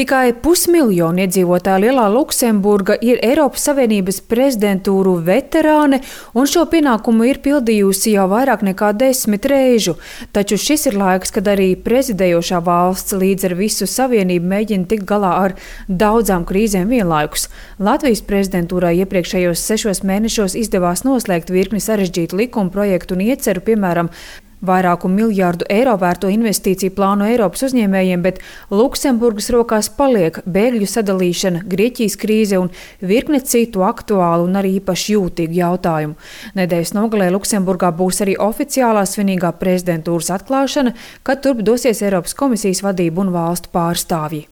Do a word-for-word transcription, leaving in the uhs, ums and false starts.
Tikai pusmiljonu iedzīvotāju lielā Luksemburga ir Eiropas Savienības prezidentūru veterāne, un šo pienākumu ir pildījusi jau vairāk nekā desmit reižu. Taču šis ir laiks, kad arī prezidējošā valsts līdz ar visu savienību mēģina tikt galā ar daudzām krīzēm vienlaikus. Latvijas prezidentūrai iepriekšējos sešos mēnešos izdevās noslēgt virkni sarežģītu likuma projektu un ieceru, piemēram, vairāku miljārdu eiro vērto investīciju plānu Eiropas uzņēmējiem, bet Luksemburgas rokās paliek bēgļu sadalīšana, Grieķijas krīze un virkne citu aktuālu un arī īpaši jūtīgu jautājumu. Nedēļas nogalē Luksemburgā būs arī oficiālā svinīgā prezidentūras atklāšana, kad turp dosies Eiropas komisijas vadība un valstu pārstāvji.